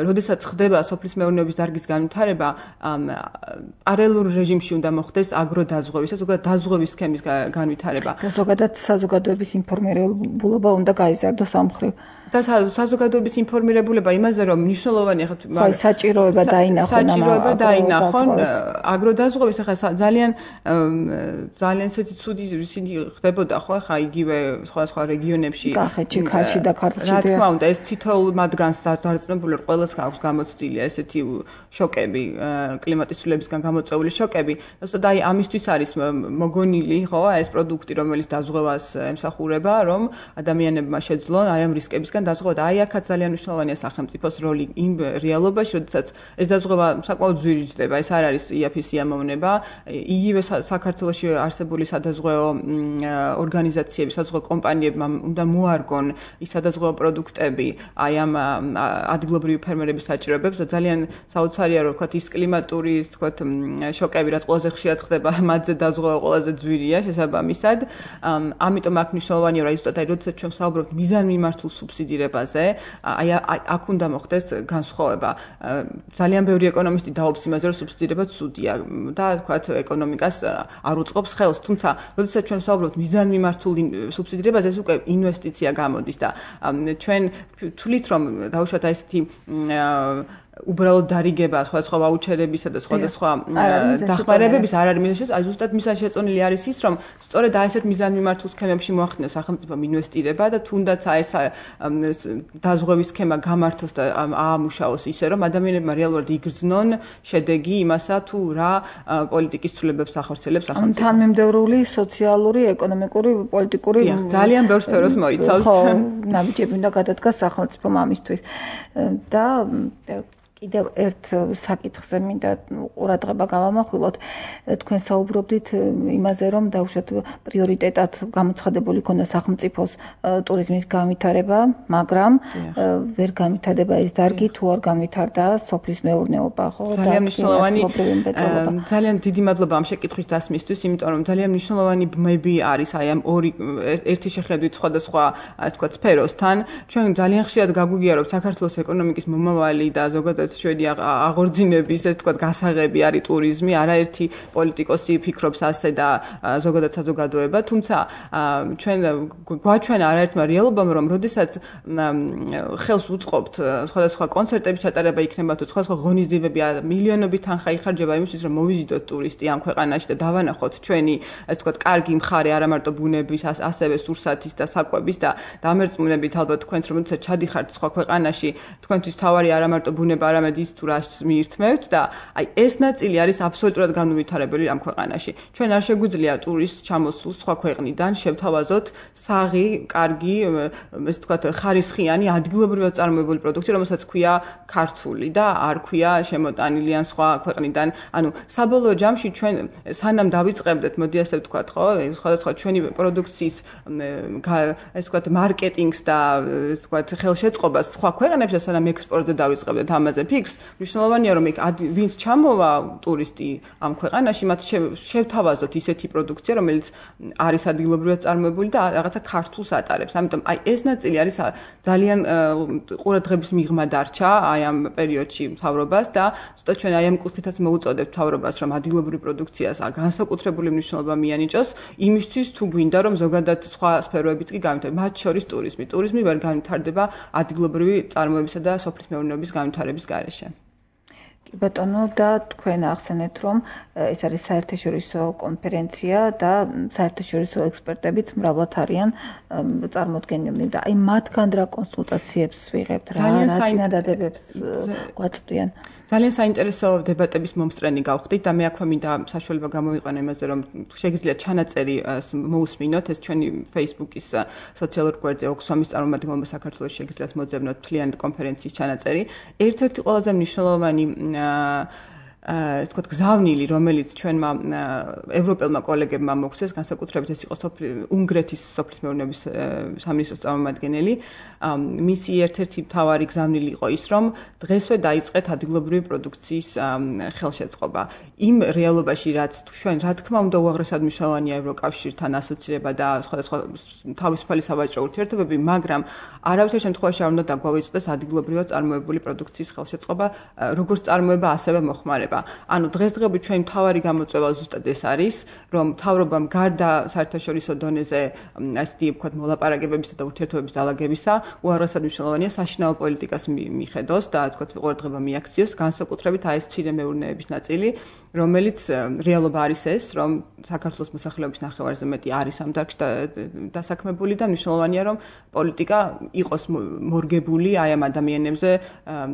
C: როდესაც ხდება სოფლის მეურნეობის დარგის განვითარება, პარალელურ რეჟიმში უნდა მოხდეს აგროდაზღვევის, ზოგადად დაზღვევის სქემის განვითარება.
B: და ზოგადად საზოგადოების ინფორმირებულობა უნდა გაიზარდოს ამ მხრივ.
C: და საზოგადოების ინფორმირებულება იმაზე, რომ მნიშვნელოვანია
B: ხო, საჭიროება
C: დაინახონ, აგროდაზღვევის ახლა ძალიან ესეთი ცუდი ისინი ხდებოდა, ხო, ახლა იგივე სხვა რეგიონებში,
B: კახეთში, ქართლში და ქართლში.
C: რა თქმა უნდა, ეს თითოეულ მათგანს დარწმუნებული ყველას აქვს გამოცდილი ესეთი შოკები, კლიმატის ცვლილებისგან გამოწვეული შოკები. და აი ამისთვის არის მოგონილი, ხო, ეს პროდუქტი, რომელიც დაზღვევას ემსახურება, რომ ადამიანებმა შეძლონ აი ამ რისკებისგან დაზღვევა. აი აქაც ძალიან მნიშვნელოვანია სახელმწიფოს როლი იმ რეალობაში, როდესაც ეს დაზღვევა საკმაოდ ძვირი ხდება, ეს არ არის იაფის სიამოვნება. იგივე საქართველოში არსებული სადაზღვეო ორგანიზაციები, სადაზღვეო კომპანიებმა უნდა მოარგონ ის სადაზღვეო პროდუქტები აი ამ ადგილობრივი ფერმერების საჭიროებებს და ძალიან საოცარია, რომ ვთქვათ, ის კლიმატური, ვთქვათ, შოკები, რაც ყველაზე ხშირად ხდება, მათზე დაზღვევა ყველაზე ძვირია შესაბამისად. ამიტომ აქ მნიშვნელოვანია, რომ ზუსტად აი როდესაც ჩვენ ვსაუბრობთ მიზანმიმართულ სუბსიდირებაზე, აი აქ უნდა მოხდეს განსხვავება. ძალიან ბევრი ეკონომისტი დაობს იმაზე, რომ სუბსიდირება ცუდია და ვთქვათ, ეკონომიკას არ უწყობს ხელს, თუმცა როდესაც ჩვენ ვსაუბრობთ მიზანმიმართულ სუბსიდირებაზე, ეს უკვე ინვესტიცია გამოდის და ჩვენ თვლით, რომ დაუშვათ აი ესეთი უბრალოდ დარიგება სხვადასხვა ვაუჩერებისა და სხვადასხვა დახმარებების არ არის მიზანი, აი ზუსტად მიზანი შეწონილი არის ის, რომ სწორედ აი ესეთ მიზანმიმართულ სქემებში მოახდინოს სახელმწიფომ ინვესტირება და თუნდაც აი ეს დაზღვევის სქემა გამართოს და აამუშაოს ისე, რომ ადამიანებმა რეალურად იგრძნონ შედეგი იმასა, თუ რა პოლიტიკის ცვლილებებს ახორციელებს სახელმწიფო.
B: თანმიმდევრული სოციალური, ეკონომიკური, პოლიტიკური
C: ძალიან ბევრ სფეროს მოიცავს.
B: ხო, ნაბიჯები უნდა გადადგას სახელმწიფომ ამისთვის და კიდევ ერთ საკითხზე მინდა ყურადღება გავამახვილოთ. თქვენ საუბრობდით იმაზე, რომ დაუშვათ პრიორიტეტად გამოცხადებული ქონდა სახელმწიფოს ტურიზმის განვითარება, მაგრამ ვერ განვითარდება ეს დარგი, თუ არ განვითარდა სოფლის მეურნეობა, ხო?
C: ძალიან მნიშვნელოვანი, ძალიან დიდი მადლობა ამ შეკითხვის დასმისთვის, იმიტომ რომ ძალიან მნიშვნელოვანი ბმები არის აი ამ ორი ერთი შეხედვით სხვადასხვა, ასე ვთქვათ, სფეროსთან. ჩვენ ძალიან ხშირად გაგვიგია, რომ საქართველოს ეკონომიკის მომავალი და ზოგადად ჩვენი აღორძინების ეს თქვა გასაღები არის ტურიზმი, არაერთი პოლიტიკოსი ფიქრობს ასე და ზოგადად საზოგადოება, თუმცა ჩვენ გვაჩვენა არაერთმა რეალობამ, რომ როდესაც ხელს უწყობთ სხვადასხვა კონცერტების ჩატარება იქნება თუ სხვადასხვა ღონისძიებები, მილიონობით თანხა იხარჯება იმისთვის, რომ მოვიზიდოთ ტურისტი ამ ქვეყანაში და დავანახოთ ჩვენი ეს თქვა კარგი მხარე არა მარტო ბუნების, ასევე სურსათის და საკვების და დამერწმუნებით ალბათ თქვენც რომ როდესაც ჩადიხართ სხვა ქვეყანაში, თქვენთვის თავარი არა მარტო ბუნება, არამედ ის თუ რას მიირთმევთ და აი ეს ნაწილი არის აბსოლუტურად განუვითარებელი ამ ქვეყანაში. ჩვენ არ შეგვიძლია ტურისტს ჩამოსულს სხვა ქვეყნიდან შევთავაზოთ საღი, კარგი, ესე ვთქვათ, ხარისხიანი, ადგილობრივად წარმოებული პროდუქტი, რომელსაც ქვია ქართული და არ ქვია შემოტანილი ან სხვა ქვეყნიდან. ანუ საბოლოო ჯამში ჩვენ სანამ დავიწყებდეთ, მოდი ასე ვთქვათ, ხო, სხვადასხვა ჩვენი პროდუქციის ესე ვთქვათ, მარკეტინგს და ესე ვთქვათ, ხელშეწყობას სხვა ქვეყნებში, სანამ ექსპორტზე დავიწყებდეთ ამაზე ფიქრს, მნიშვნელოვანია რომ ვინც ჩამოვა ტურისტი ამ ქვეყანაში, მათ შევთავაზოთ ისეთი პროდუქცია, რომელიც არის ადგილობრივად წარმოებული და რაღაცა ქართულს ატარებს. ამიტომ აი ეს ნაწილი არის ძალიან ყურადღების მიღმა დარჩა აი ამ პერიოდში მთავრობას და ზუსტად ჩვენ აი ამ კუთხითაც მოუწოდებთ მთავრობას, რომ ადგილობრივი პროდუქციას განსაკუთრებული მნიშვნელობა მიანიჭოს იმისთვის, თუ გვინდა რომ ზოგადად სხვა სფეროებიც კი განვითარდეს, მათ შორის ტურიზმი. ტურიზმი ვერ განვითარდება ადგილობრივი წარმოებისა და სოფლის მეურნეობის განვითარების გარეშე.
B: ბატონო და თქვენ ახსენეთ რომ ეს არის საერთაშორისო კონფერენცია და საერთაშორისო ექსპერტებიც მრავლად არიან წარმოდგენილნი და აი მათგან რა კონსულტაციებს ვიღებთ რა წინადადებებს გვაწვდიან
C: ძალიან საინტერესო დებატების მომსწრენი გავხდით და მე აქვე მინდა საშუალება გამოვიყენო იმაზე რომ შეგიძლიათ ჩანაწერი მოусმინოთ ეს ჩვენი Facebook-ის სოციალურ გვერდზე ოქსფამის წარმომადგენლობა საქართველოს შეგიძლიათ მოძებნოთ მთლიანი კონფერენციის ჩანაწერი ერთ-ერთი ყველაზე მნიშვნელოვანი ეს თქვა გზავნილი რომელიც ჩვენმა ევროპელმა კოლეგებმა მოგცეს განსაკუთრებით ეს იყო უნგრეთის სოფლის მეურნეობის სამინისტროს წარმომადგენელი მისი ერთ-ერთი მთავარი გზავნილი იყო ის რომ დღესვე დაიწყეთ ადგილობრივი პროდუქციის ხელშეწყობა იმ რეალობაში რაც ჩვენ რა თქმა უნდა უაღრესად მნიშვნელოვანია ევროკავშირთან ასოცირება და სხვადასხვა თავისუფალი სავაჭრო ურთიერთობები მაგრამ არავითარ შემთხვევაში არ უნდა დაგვავიწყდეს ადგილობრივად წარმოებული პროდუქციის ხელშეწყობა როგორც წარმოება ასევე მოხმარება ანუ დღესდღეობით ჩვენი მთავარი გამოწვევა ზუსტად ეს არის, რომ მთავრობამ გარდა საერთაშორისო დონეზე ასეთი ვთქვათ მოლაპარაკებებისა და ურთიერთობების დაალაგებისა, უაღრესად მნიშვნელოვანია საშინაო პოლიტიკას მიხედოს და ვთქვათ ყურადღება მიაქციოს, განსაკუთრებით აი ეს მცირე მეურნეობის ნაწილი, რომელიც რეალობა არის ეს, რომ საქართველოს მოსახლეობის ნახევარზე მეტი არის ამ დარგში დასაქმებული და მნიშვნელოვანია, რომ პოლიტიკა იყოს მორგებული აი ამ ადამიანებზე,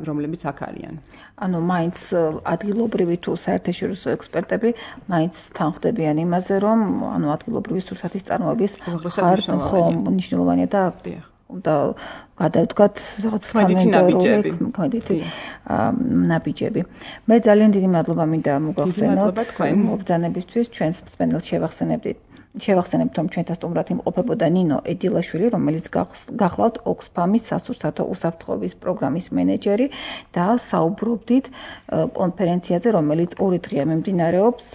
C: რომლებიც აქ არიან.
B: ანუ მაინც ადგილობრივი თუ საერთაშორისო ექსპერტები მაინც თანხმდებიან იმაზე, რომ ანუ ადგილობრივი სურსათის წარმოების მნიშვნელოვანია და გადავდგათ რაღაც კმედითი ნაბიჯები. მე ძალიან დიდი მადლობა მინდა მოგახსენოთ მობრძანებისთვის ჩვენს მსმენელს შევახსენებთ რომ ჩვენთან სტუმრად იმყოფებოდა ნინო ედილაშვილი, რომელიც გახლავთ ოქსფამის სასურსათო უსაფრთხოების პროგრამის მენეჯერი და საუბრობდით კონფერენციაზე, რომელიც 2 დღეა მიმდინარეობს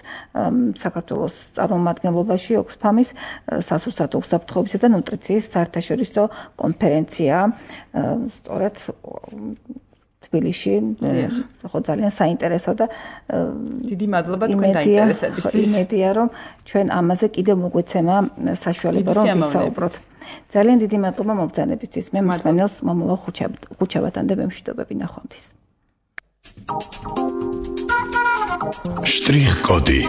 B: საქართველოს წარმომადგენლობაში ოქსფამის სასურსათო უსაფრთხოებისა და ნუტრიციის საერთაშორისო კონფერენცია სწორედ თბილისში ხო ძალიან საინტერესო და
C: დიდი მადლობა თქვენ დაინტერესებისთვის.
B: იმედია რომ ჩვენ ამაზე კიდევ მოგვეცემა საშუალება რომ ვისაუბროთ. ძალიან დიდი მადლობა მობრძანებისთვის. მე მსმენელს მომავალ ხუთშაბათამდე მემშვიდობები ნახვამდის.
D: შტრიხ კოდი